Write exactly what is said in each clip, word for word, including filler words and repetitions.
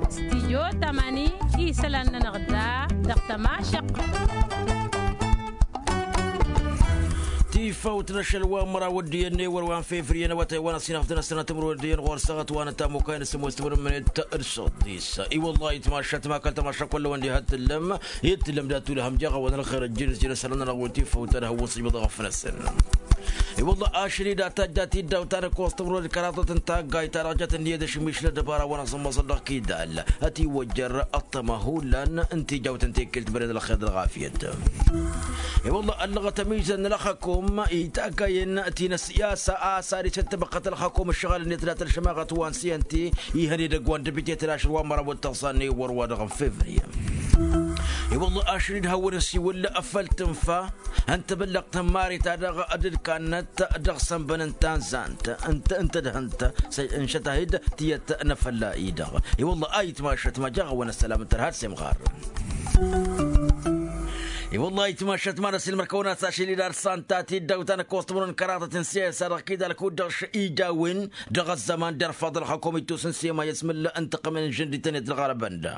Studio tamani, isălan-nănăɣ da dăɣ-tămašăq. Tifawt n-ašăl wa n-măraw d-iyyăn n-ewăr wa n-fevriye n-awătay wa n-ăsinăɣ d-năsnăt timǝrwăl d-iyyăn ɣur-săɣăt wa n-ătamukay n-sămoos timǝrwăl mănet d-săḍis. I-wăllah itmašat ma kăl-tămašat kullăwăn diha t-tǝllăm. Ittǝllăm dat-ulăhăm jaɣ-awăn ălxer ăjjǝn s-jănăsălăn-nănăɣ wăl tifăwt ad-hăwwăn s-ijbăḍ ɣăf-năsăn. I-wălla ašăl-i dat-tajjat iddawt ta n-ăkkoẓ tămrod kăraḍăt n-taggayt ta dăɣ-jăt ǝnniyăt ašǝmmišǝl ăddăbara-wăn ăẓǝmmăẓăl dăɣ-kidal. Ătiwăjjăr ăṭṭăma hullan n-tijawt n-tekkelt băned ălxer d-ălɣafyăt. I-wălla ăllăɣăt ămizăn n-ălxăkum i-taggayăn ti n-ăssiyasa a-s ad-isǝttăbăqqăt ălxăkum ǝššăɣǝl-net dat-ălšămaɣăt wa n-siyănti. Ihăn edăgg wa n-dăbite tălašăl wa n-măraw d-tăẓẓa n-ewăr wa dăɣ-n fevriye. I-wălla ašăl-i d-hawăn-ăsiwǝl făll-tǝnfa n-tabăllăɣt n-mari ta dăɣ-dd-kannăt dăɣ-sănbăn n-tanzant n-tădhǝnt. N-šăt-ahǝd tiyyăt n-afălla-i-dăɣ. I-wălla a itmašăt ma jaɣ-awăn ăssălam n-tărha d-semɣar. I-wălla a itmašăt ma n-ăsilmăr-kăwăn-as ašăl-i d-ad-santa tiddawt ta n-ăkkoẓ timǝrwen kăraḍăt n-siyasa dăɣ-kidal kud-dăɣ š-ija a-wen dăɣ-ăzzăman d-irfaḍ ălxăkum ittus n-sema i-asmǝl n-tăqqămen n-žăndităn i-tǝlɣărbăn da.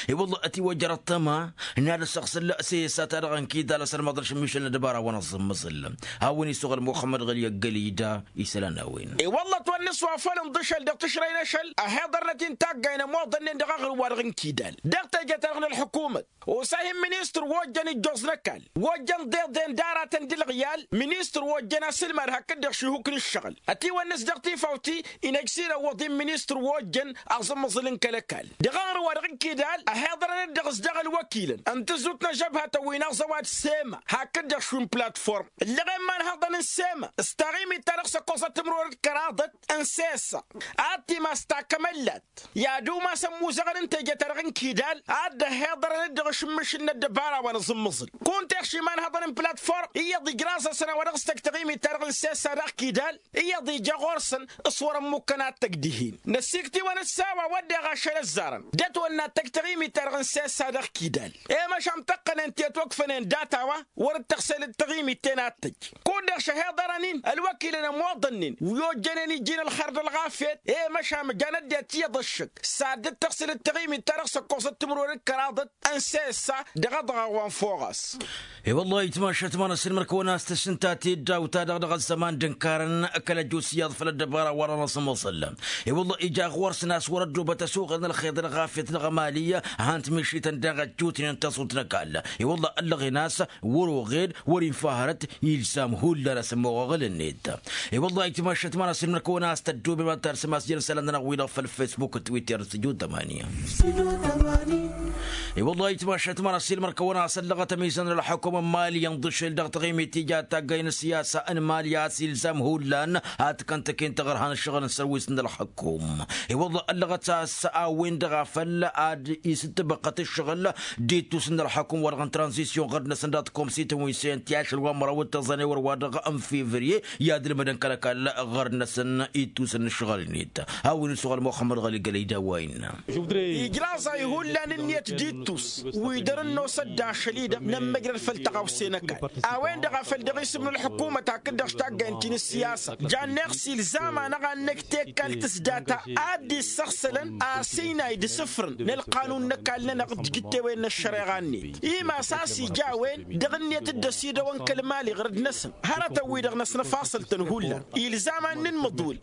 I-wălla ătiwăjjăr ăṭṭăma n-ad-ăssăɣsǝl sesa-ta-dăɣ n-kidal asărmaḍ n-ašǝmmišăl n-ăddăbara wa n-aẓǝmmăẓǝl. Hawăn-isuɣ ălmuxămmăd ɣǝli ăggălida isălan n-a-wen. I-wălla ătwănnăs wa făl ǝnḍǝšăl dăɣ-tǝšrăy n-ašăl ăhiḍărnăt-in taggay n-ămoḍănnen dăɣ-aɣrǝm-wa-dăɣ n-kidal dăɣ-teje-ta-dăɣ n-ălḥǝkumăt. Osa ihǝn ministăr wa ojjăn ijjoẓ n-ăkall wa ojjăn ḍeḍen d-aratăn d-ǝlɣǝyal. Ministăr wa ojjăn asǝlmad hakd-dăɣ šihuk n-ǝššăɣǝl ătiwănnăs dăɣ-tifawt-i. Inăjj s-inăwwăḍ-in ministăr wa ojjăn aẓǝmmǝẓǝl n-kăl-ăkall dăɣ-aɣrǝm-wa-dăɣ n-kidal. Ăhiḍărăn-dd dăɣ-s daɣ ălwăkilăn n-tǝzzut n-ăžžăbhătăn wi n-aẓăwad sema hakd-dăɣ šund platform ǝllăɣen imanhăḍăn n-sema s-taɣimit-ta-dăɣ s-ăkkoẓăt timǝrwen d-kăraḍăt n-sesa ad-timas takămăllat. I-ad-umas ămmuzăɣăn n-teje-ta-dăɣ n-kidal ad-dd-ăhhiḍărăn-dd dăɣ-ašǝmmǝšǝl n-ăddăbara wa n-aẓǝmmǝẓǝl. Kunta iɣš imanhăḍăn n-platform iyyăḍ ijraẓ-asăn a-wa dăɣ-s tăj taɣimit-ta-dăɣ n-sesa daɣ kidal. Iyyăḍ ija ɣur-săn s-wăr-ămmukkăn ad-tăj dihen năsiktiwăn-dd s-a-wa wădden ašăl ăzzarăn d-ătwănna ad-tăj taɣimit-ta-dăɣ n-sesa daɣ kidal. I-măšan tăqqănen ti ătwăkfănen data-wa wăr-dd tăɣsel d-taɣimit-ten ad-tăj. Kud-dăɣ šăhiḍărăn-in ălwăkilăn ămoḍănnen wi ojjănen iji n-ălxer d-ălɣafyăt. I-măšan măjan ăddinăt iyyăḍ ăššăk s-ad-dd-tăɣsǝl d-taɣimit-ta-dăɣ s-ăkkoẓăt timǝrwen d-kăraḍăt n-sesa. Dăɣ-ăḍɣaɣ wa n-foɣas. I-wăllah itmašăt ma n-asǝlmăr-kăwăn a-s tǝssǝnta tiddawt-ta-dăɣ dăɣ-ăzzăman d-ǝnkarăn kăl-ăjus iyyăḍ făll-ăddăbara wa n-anăẓmăẓăl. I-wăllah ija ɣur-săn a-s wăr-ăddubăt ăsuɣǝl n-ălxer d-ălɣafyăt dăɣ-emali. Han-t mišităn daɣ ăjjutnen tăẓut n-ăkall. I-wăllah ăllăɣen a-s wăr-oɣed wăr-infa hărăt ilzam hullan asǝmmoɣ aɣǝl-net. I-wăllah itmašăt ma n-asǝlmăr-kăwăn a-s tăddubem ad-tarsǝm a-s jăn isălan-nănăɣ-wi-dăɣ făll-fesbuk d-twitter d-săju tămani. I-wăllah itmašăt ma n-asǝlmăr-kăwăn a-s ăllăɣăt ămizăn n-ălxăkum n-mali inḍǝšel dăɣ-taɣimit tija taggay n-ăssiyasa n-mali a-s ilzam hullan ad-t-kăntăken taɣărha n-ăššăɣǝl n-sărwis n-ălxăkum. I-wăllah ăllăɣăt a-s a-wen-dăɣ a făl ad-isǝttǝbăqqăt ǝššăɣǝl d-ittus n-ălxăkum-wa-dăɣ n-tranzisyon ɣărd-năsăn dăɣ-tikomsităn wi n-sent i-ašăl wa n-măraw d-tăẓẓa n-ewăr-wa-dăɣ n-fevriye. I-ad-ǝlmădăn kăl-ăkall ɣărd-năsăn ittusăn n-ǝššăɣǝl-net. Hawăn-isuɣăl muxămmăd ɣăli gălăy d-a-wa innă. Ijraẓ-ay hullan ǝnniyăt d-ittus wi dăr-ănnosăt d-ašăl-i-dăɣ nămmăjrăd făll-tăɣawse n-ăkall a-wen-dăɣ a făl dăɣ-isǝm n-ălḥukumăt hakd-dăɣ s-taggay n-ti n-ǝssiyasa. Jan neɣ s-ilzam-anăɣ ad-năj tekkalt s-data ad-dd-issăɣsălăn asǝynay d-isǝfrǝn n-ălqanun n-ăkall-nănăɣ d-ijǝttewen n-ăššăreɣa-net. Imas a-s ija a-wen dăɣ-ǝnniyăt dd-ăsidăwăn kăl-mali ɣărăd-năsăn. Hărătăn-wi-dăɣ năsnăfasăl-tăn hullan ilzam ad-nǝnmǝḍwǝl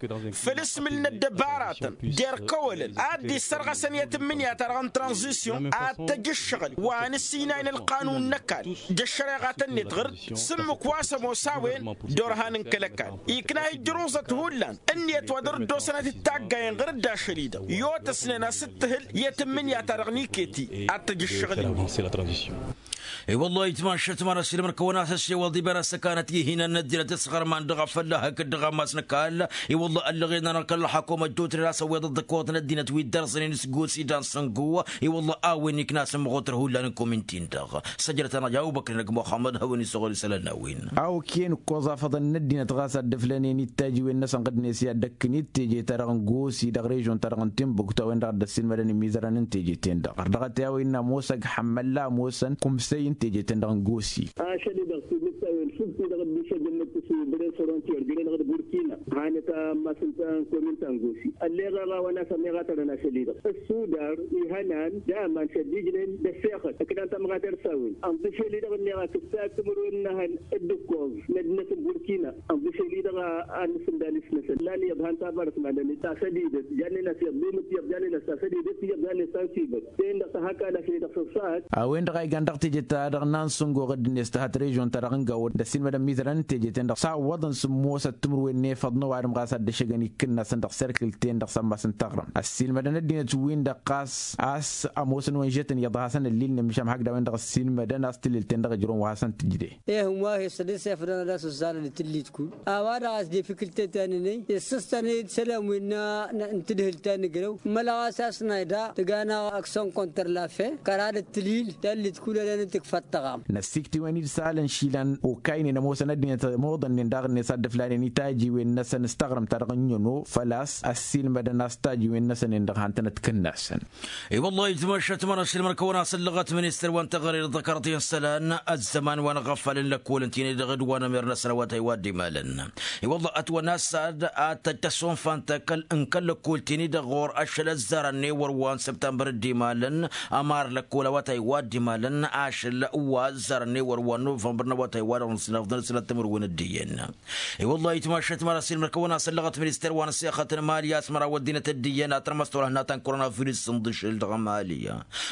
făll-asmǝl n-ăddăbaratăn d-erkăwălăn ad-dd-issărɣăsăn i-tǝmmǝnǝya-ta-dăɣ n-tranzisyon ad-tăj ǝššăɣǝl wa n-ǝssinay n-ălqanun n-ăkall d-ăššăreɣatăn-net ɣǝr-dd s-ǝmmǝk wa s-ămoos a-wen d-orhanăn kăl-ăkall. Ikna-hi ǝjruẓăt hullan ǝnniyăt wa dăr-dd-osănăt d-taggayen ɣǝr-dd ašăl-i-dăɣ i-otăsnen a-s dd-tǝhǝl i-tǝmmǝnǝya-ta-dăɣ n-iketi ad-tăj ǝššăɣǝl-net. I-wăllah itmašăt ma n-asǝlmăr-kăwăn a-s ăssewăḍ iber ăssăkanăt ihinăn n-ăddinăt s-iɣărman dăɣ-afălla hakd dăɣ-ammas n-ăkall. I-wăllah ăllăɣen-anăɣ kăl-ălxakum ăjjootnen a-s ăwweḍăt d-ăkkoḍ n-ăddinăt wi dd-ărẓănen s-gos idan săngo. I-wăllah a-wen Ikna-asăn măɣotăr hullan n-kominti-dăɣ săjdăt-anăɣ i-abubăkr n-ăgg muxămmăd hawăn-isăɣol isălan n-a-wen. A okăyăn ǝkkoẓ afăḍăn n-ăddinăt ɣas a dd-ǝflănen i-dd-tajǝwen-năsăn ɣǝdnet i-ad-dd-ăkkǝn i-teje-ta-dăɣ n-gosi dăɣ-režion-ta-dăɣ n-timbuktu a-wen-dăɣ a dd-ăssiilmădăn imizărăn n-teje-ten-dăɣ ărdăɣăt i-a-wa innă ămoos ăgg ḥămmălla ămoosăn kumsăy n-teje-ten-dăɣ n-gosi. Ašăl-i-dăɣ s-dd-ǝttawăn sǝbti dăɣ-dd-išăjjăn n-ǝttǝsu băren frontier jăren dăɣ-burkina hanăt-ammas ǝnta n-komin ta n-gosi ălleɣ a-wa n-asămeɣ a tărăn ašăl-i-dăɣ ǝssudar ihănan d-aman šăddijnen d-ăssexăt ǝknan tamɣatert s-a-wen ănḍǝšel-i-dăɣ ǝnneɣ akǝssa timǝrwen n-ehăn d-ǝkkoẓ n-ăddinăt n-burkina ănḍǝšel-i-dăɣ a ănnǝsǝndal isnăsăn lan iyyăḍ han tabarăt madăn-i tasădidăt jannen-as iyyăḍ d-imǝttǝyăḍ jannen-as tasădidăt iyyăḍ jannen-as tansibăt. Ten-dăɣ tăhakal ašăl-i-dăɣ s-ăṣṣahat. A-wen-dăɣ a igan dăɣ-teje-ta-dăɣ n-ansǝngo ɣǝdd-net tăhăt režion-ta-dăɣ n-gawăd d-ăssiilmădăn mizărăn n-teje-ten-dăɣ s-a ǝwwăḍăn sǝmmosăt timǝrwen n-efăḍ n-ăwadǝm ɣas ad-dd-ăššăgăn ikkǝnnasăn dăɣ-serkǝl-ten-dăɣ s-ămmas n-taɣrǝmt ăssiilmădăn ăddinăt win-dăɣ ɣas a-s ămoosăn wa n-žătăn iyyăḍ a hasăn-ăllilnen măšan hakd a-wen-dăɣ ăssiilmădăn a-s tǝllelt-ten-dăɣ ǝjrǝwăn wa hasăn-tǝjde. Ehăn wa he-s ad-dd-sefădăn ad-asǝzzarăn d-tǝllit kud a-wa-dăɣ a-s de fikǝltet ta n-enăy issǝstăn-dd isălan wi n-tǝdhǝlt ta n-ǝgrăw mălăɣ a-s asnay daɣ tǝgg'-anăɣ aksăn konter la fe kăra d-ăttǝlil tallit kud ălănăt tǝkfăt tăɣam. Năssikt'-iwen-dd s-alăn išilan okaynen ămoosăn ăddinăt ămoḍănnen daɣ-net ad-dd-ǝflanen i-tajiwen-năsăn s-taɣrǝmt-ta-dăɣ n-ino făl-a-s ăssiilmădăn a-s tajiwen-năsăn-en-dăɣ han-tănăt-kǝnnasăn. I-wăllah itmašat mărašil mărkăwăn asăllăɣăt ministăr wa n-teɣăre d-ăḍkărăt i-isălan ăzzăman wa n-aɣăfalăn lăkkolăn ti-ni-dăɣ d-wa n-ămer-năsăn a-wa tăywad d-imalăn. I-wăllah ătwănna s-ad-ad-tăj tăssonfan n-kăl-lăkkol ti-ni-dăɣ ɣur-ašăl ăzzarăn n-ewăr wa n-săbtămbăr d-imalăn ămar lăkkol a-wa tăywad d-imalăn ašăl wa ăzzarăn n-ewăr wa n-novămbăr n-a-wa tăywad dăɣ-năsnăfḍăn s-lăttămăr-wen ăddiyăn. I-wăllah itmašat mărašil mărkăwăn asăllăɣăt ministăr wa n-ăssexăt n-mali a-s măraw ăddinăt ăddiyăn a tărmăs turhǝnna ta n-koronavirus s-ǝnḍǝšǝl dăɣ-mali.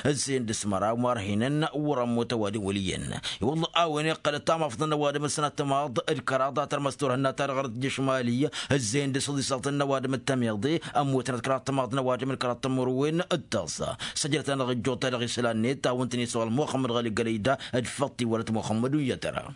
Ǝzzeyăn dăɣ-s măraw marhinăn wăr-ămmut ăwadǝm wăl' iyyăn. I-wăllah a-wen iqqălăt tamafḍăn n-ăwadǝm d-sănat timaḍ d-kăraḍ a tărmăs turhǝnna ta dăɣ-arăt jăš mali. Ǝzzeyăn dăɣ-s ăḍisăḍ n-ăwadǝm d-tămiḍe ămmutnăt kăraḍ timaḍ n-ăwadǝm d-kăraḍ timǝrwen d-tăẓẓa. Săjdăt-anăɣ ǝjjuḍ-ta-dăɣ isălan-net a-wen tăn-isăɣăl muxămmăd ɣăli gălăyda d-făṭṭ iwălăt muxămmăd uyyăt ăra.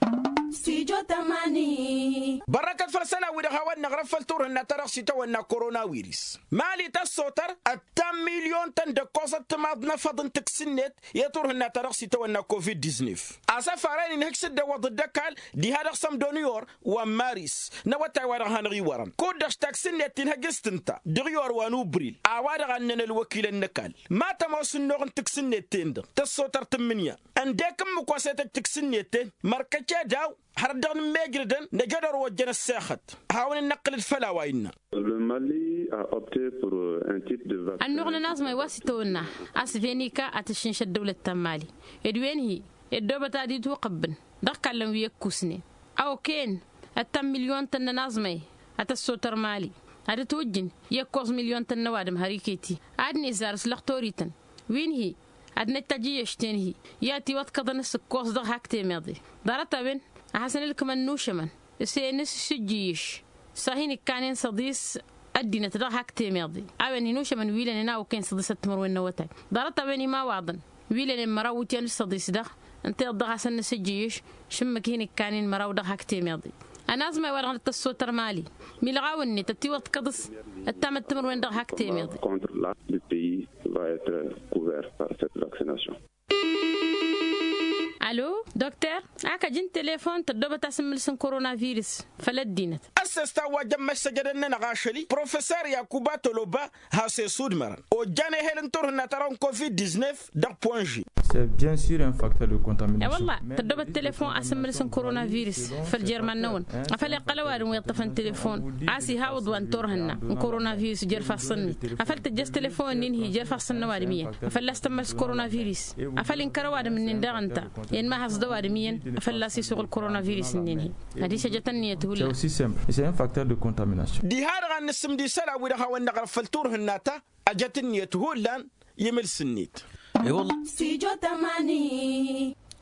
Bărrăkăt făll-isălan-wi-dăɣ hawăn-năɣrăf făll-turhǝnna ta dăɣ-s itawănna koronawiris mali tăssotăr ăttan milyon-tăn d-ǝkkoẓăt timaḍ n-efăḍ n-taksǝnnet i-turhǝnna ta dăɣ-s itawănna covid-diznef. Asăfar-en inhǝj s-dd-ăwwăḍăt d-ăkall diha dăɣ-sămdo n-iyor wa n-maris n-awătay wa dăɣ-hanăɣ-iwărăn kud-dăɣ taksǝnnet tinhăj s-tǝnta dăɣ-iyor wa n-ubril a-wa-dăɣ a ǝnnăn ălwăkilăn n-ăkall ma tămoos ǝnnuɣ n-taksǝnnet-ten-dăɣ tăssotăr tǝmmǝnǝya. Ǝndek ǝmmǝk wa s-e-tăj taksǝnnet-ten mărkăc edaw hărăt dăɣ-nǝmmejrădăn năj'-dd ăru ojjăn ăssexăt. Hawăn-in-năqqǝlăd făll-a-wa innă. Ănnuɣ n-ănaẓmay wa s-itawănna asvenika ad-tǝššǝnš ăddăwlăt ta n-mali ed wen-hi ed dobăt ad-itwăqăbbǝn dăɣ-kallăn wi ăkkusnen. A okăyăn ăttan milyon-tăn n-ănaẓmay ad-tăssotăr mali ad-ătwǝjjǝn i-ǝkkoẓ milyon-tăn n-ăwadǝm har iket-i ad-nǝzzar s-lăxtorităn wi n-hi ad-năj tajǝyyăš-ten-hi i-ad-tiwăḍkăḍăn s-ǝkkoẓ dăɣ-hak temeḍe. Ḍarăt-a-wen a hasăn-ǝlkǝmăn n-ušămăn s-e-nǝssǝjjǝyyǝš s-ad-hin-ǝkkanen s-ăḍis ăddinăt dăɣ-hak temeḍe. A-wen hin-ušămăn wi lănen a okăyăn s-ăḍisăt timǝrwen n-awătay. Ḍarăt-a-wen imawaḍăn wi lănen măraw wǝtyan s-ăḍis-dăɣ ǝnta iyyăḍ dăɣ-hasăn-nǝssǝjjǝyyǝš šǝmmǝk hin-ǝkkanen măraw dăɣ-hak temeḍe. Ănaẓmay wa dăɣ-năt tăssotăr mali milɣaw-net ătiwăḍkăḍ s-ăttamăt timǝrwen dăɣ-hak temeḍe. Contre la le pays va être couvert par cette vaccination. Alo dokter, a kăj n-telefon tăddobăt asǝmmǝlǝs n-koronavirus făll-ăddinăt. Ăssestan wa jămmăš săjdăn-nănăɣ ašăl-i professer yakuba toloba has-esudmărăn ojjan ehel n-turhǝnna ta dăɣ-n covid-diznef dăɣ-ponže. E-wălla tăddobăt telefon asǝmmǝlǝs n-koronavirus făll-jer-iman-năwăn afăl iqqăl ăwadǝm wi ǝṭṭăfăn telefon a-s ihawǝḍ wa n-turhǝnna n-koronavirus jer-ifassăn-net. Afăl tǝjjăš telefon-nin-hi jer-ifassăn n-ăwadǝm iyyăn a fălla-s tămmăls koronavirus. Afăl inkăr ăwadǝm-nin daɣ ǝnta i-ănmahăẓ d-ăwadǝm iyyăn a fălla-s isuɣǝl koronavirus-nin-hi. Adiš ăjăt ǝnniyăt hullan. Diha-dăɣ ad-nǝssǝmd isălan-wi-dăɣ hawăn-năɣrăf făll-turhǝnna ta ăjăt ǝnniyăt hullan. I-imǝls-net.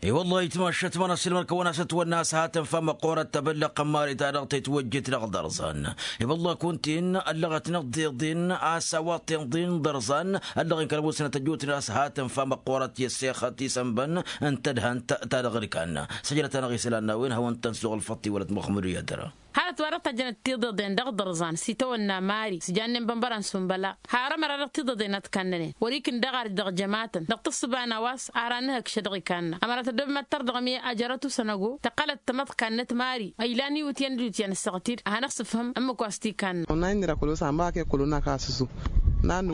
I-wălla itmašat mănăssilmăn kăwăn-asăt wănna a-s hatăn fa măqqoorăt tăbăllăɣt n-mari ta dăɣ-tetwăjjit dăɣ-dărzan. I-wălla kunta-in ăllăɣăt-năɣ deḍen a-s a-wa t-inḍǝn dărzan ăllăɣen kăl-ămoosăn ad-tăjjutnen a-s hatăn fa măqqoorăt i-ăssexăt isănbăn n-tadhant ta dăɣ-ǝlkan. Săjdăt-anăɣ isălan n-a-wen hawăn-tăn-suɣǝl făṭṭ iwălăt muxămmăd u-yadăra. Hărăt wa dăɣ-tajjănăt tiḍeḍen dăɣ-dărzan s-itawănna mari s-jannen bănbăra n-sunbăla. Har ămăra dăɣ-tiḍeḍen a t-kannănen wăr-ikǝn dăɣ-arj dăɣ-jămatăn dăɣ-tǝssǝba n-a-wa s-ara n-ehăgšăd dăɣ-ikanna ămăra tăddobem ad-tărdăɣăm i-ajărăt usănăgo. Tăqqălăt tamăḍkannăt mari ăylan iwǝtyan d-iwǝtyan ăssaɣtid ad-hanăɣ-sǝfhǝm ǝmmǝk wa s-t-ikanna. Onna innă d-akălos ănbăɣ a kăy-kălo n-akass s-u.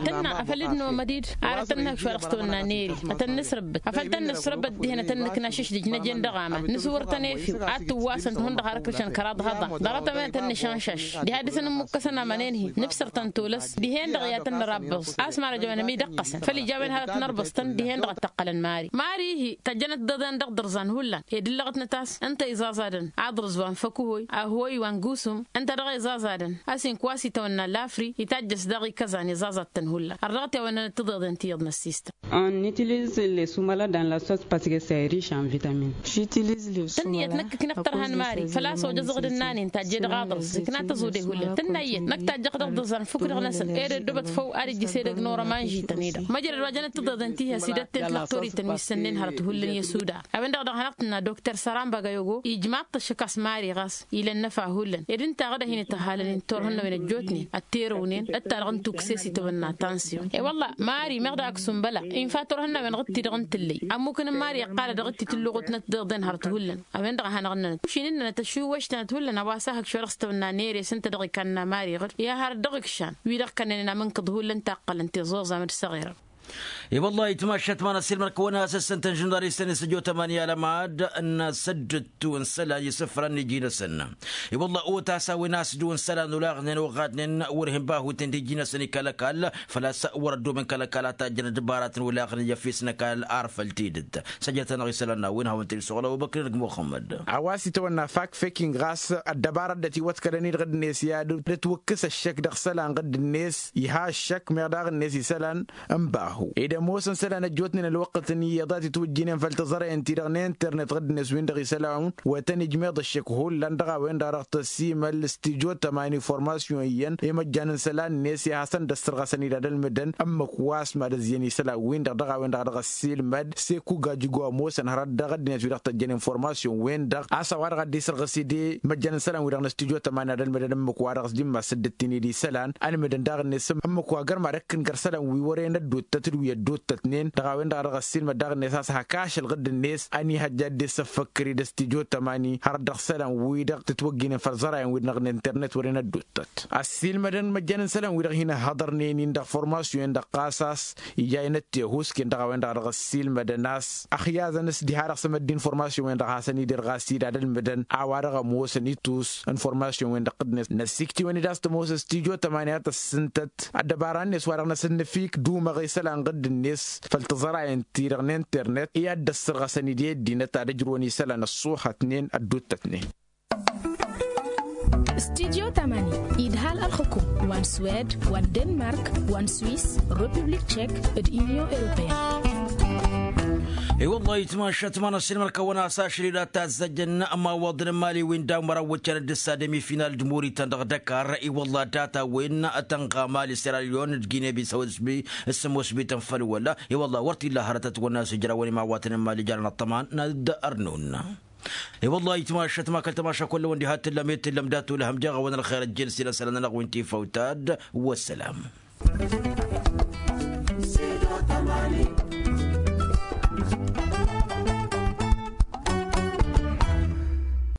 Tănna afăl dd-nomăd-dd ara tănnăhăkš wa dăɣ-s tăwănna n-ere ad-tăn-nǝsrăbbăt afăl tăn-nǝsrăbbăt dihen ad-tăn-nǝkna šǝšdǝj nǝjăn dăɣ-aman nǝswăr-tăn efew ad-tǝwwasăn-t hundăɣ har ǝkrǝšăn kăraḍ hăḍa. Dăɣ-tămăyăn tăn-nǝšanšaš diha dăr-s ănǝmmukkăsăn amănen-hi nǝbsăr-tăn tolăs dihen-dăɣ i-ad-tăn-nărabăẓ. A-s mara jăwăn ămidăqqăsăn făll-ijawăn hărăt nărbăẓ-tăn dihen-dăɣ ăttăqqălăn mari. Mari-hi tăjjănăt tiḍeḍen dăɣ-dărzan hullan ed ǝllăɣătnăt a-s ǝnta iẓaẓadăn aḍrǝz wa n-făkǝhoy ahoy wa n-gusum. Ǝnta dăɣ-iẓaẓadăn a-s inkǝwas itawănna lafri itajjăs daɣ ikăzan iẓaẓad-tăn hullan har dăɣ-t i-a-wa ǝnnănăt tiḍeḍen ti iyyăḍ n-ăssistăn. Ănnitiliz lesumăla dan la sos paske s-a iriš anvitamine. Tǝnniyăt năkk ǝknăɣ tărha n-mari făl-a-s ojăẓ ăɣǝd-ǝnnanen tajje dăɣ-aḍrǝs ikna tăẓude hullan tǝnna iyyăt năkk tajjăɣ dăɣ-dăẓan fukk-dăɣ-năsăn ed ăddoobăt făw ad-ijjǝs edăgg n-orăma n-žităn-i-dăɣ măjrăd wa jănăt tiḍeḍen ti has-idătten tălăɣtorit-tăn wi s-sănnen hărăt hullan i-ăsuda. A-wen-dăɣ dăɣ-hanăɣ-tǝnna dokter săran băgăyogo ijmaḍ-t ăššăk a-s mari ɣas ila ănnăfa hullan ed ǝnta aɣǝd a hin-ităhalăn-in turhǝnnawen ăjjootnen ătterăwnen d-ta-dăɣ n-tukse s-itawănna tansyon. E-wălla mari meɣ daɣ ăksumbăla infa turhǝnnawen ɣǝd-ti-dăɣ n-tǝllăy ămmukăn n-mari iqqalăd ɣǝd-ti tǝlluɣutnăt tiḍeḍen hărăt hullan. A-wen-dăɣ a hanăɣ-ǝnnănăt ušin ǝnnănăt ăššuwăštănăt hullan a-wa s-ahǝkš wa dăɣ-s tăwănna n-ere s-ǝnta dăɣ-ikanna mari ɣǝd i-ad-harăt dăɣ-ikšan wi-dăɣ kănnănen amǝnkǝḍ hullan taqqălăn tiẓuẓam d-săɣirăn. I-wăllah itmašat ma n-asǝlmăr kăwăn-asăssăn tănžundar isăn isǝjjo tămani alămad n-asăddǝttu n-isălan isǝfran n-iji-năsăn. I-wăllah otas a-wen a-s dd-wăn isălan olaɣnen oɣadnen wăr hin-bahuten d-iji-năsăn ikăl-ăkall. Făl-a-s wăr-ăddoobăn kăl-ăkall a tajjăn d-ibaratăn olaɣnen i-efes n-ăkall ar făll-tidǝt. Săjjătăn-aɣ isălan n-a-wen hawăn-t-dd-suɣǝl ăbubăkr n-ăgg muxămmăd. A-wa s-itawănna fact faking ɣas ăddăbara dd-ătiwăḍkălăn-dd ɣǝdd-net i-ad-dd-ătwǝkkǝs ăššăk dăɣ-isălan ɣǝdd-net iha ăššăk meɣ daɣ-net isălan. N-bahu ed ămoosăn isălan ăjjootnen ălwăqqǝtăn iyyăḍ a t-itwǝjjǝynen făll-tăẓrăyăn-ti-dăɣ n-internet ɣǝdd-net win-dăɣ isălan wa tăn-ijmeḍ ăššăk hullan dăɣ-a-wen-dăɣ a dăɣ-tăssiimăl s-tijo tămani formasyon iyyăn i-măjjan n-isălan-net i-ad-hasăn-dd-ăssărɣăsăn idad ălmǝdăn ǝmmǝk wa s-mad-ăzziyăn isălan-win-dăɣ dăɣ-a-wen-dăɣ a dăɣ-ăssiilmăd. S-e-kugajugo ămoosăn hărăt dăɣ-ăddinăt wi-dăɣ tăjjăn informasyon-wen-dăɣ a-s a-wa-dăɣ a dd-isărɣǝs-dd i-măjjan n-isălan-wi-dăɣ n-ăstijo tămani ad-ălmǝdăn ǝmmǝk wa dăɣ-s dd-immas dd-ǝttin-dd isălan. Ălmǝdăn daɣ-net ǝmmǝk wa gărm ad-ăkkǝn găr isălan wi wăren ăddottăt d-wi ăddottătnen dăɣ-a-wen-dăɣ a dăɣ-ăssiilmăd daɣ-net a-s hak ašăl ɣǝdd-net ănihăjja a dd-e-săffăkkăr-dd ăstijo tămani hărăt dăɣ-isălan-wi-dăɣ tǝtwăggǝynen făll-iẓărayăn-wi-dăɣ n-internet wăren ăddottăt. Ăssiilmădăn măjjan n-isălan-wi-dăɣ hin-ăhhăḍărnen-in dăɣ-formasyon-en-dăɣ ɣas a-s ija inăttehusken dăɣ-a-wen-dăɣ a dăɣ-ăssiilmădăn a-s ăxyazăn s-diha-dăɣ s-emădd informasyon-wen-dăɣ hasăn-dd-irɣas-dd ad-ălmǝdăn a-wa-dăɣ ămoosăn itus informasyon-wen-dăɣ ɣǝdd-net. Năssiiktiwăn-dd a-s tămoos ăstijo tămani ad-tăssǝntăt ăddăbara-net wa dăɣ-năsăn nǝfik d-umăɣ isălan ɣǝdd-net făll-tiẓărayăn-ti-dăɣ n-internet i-ad-dd-ăssărɣăsăn-dd i-ăddinăt ad-ǝjrǝwăn isălan ăṣṣuhătnen ădduuttătnen. Studyo tămani idhal ălxǝkum wa n-swed wa n-denmark wa n-swis, republik tšek d-unyon europeyăn. I-wăllah itmašat ma n-asǝlmăr kăwăn-as ašăl-i d-ad-tazzăjjăn ămawăḍăn n-imali wi n-daw-măraw wăccăn dd-ǝssa demi-final d-mori-tăn dăɣ-dăkar. I-wăllah data-wen tănɣa mali seralyon d-gine-bisăw s-sămoos bităn făll-wăla. I-wăllah wăr t-illa hărătăt wănna s-ǝjrawăn imawatăn n-mali jarăn ăṭṭăman n-ad-ărnun. I-wăllah itmašat ma kăl-tamaša kull-wăn diha t-tǝllăm i-tǝllăm dat-olăhăm jeɣ-awăn ălxer ăjjel s-ila isălan-nănăɣ wi n-tifawt ad-wăssălam.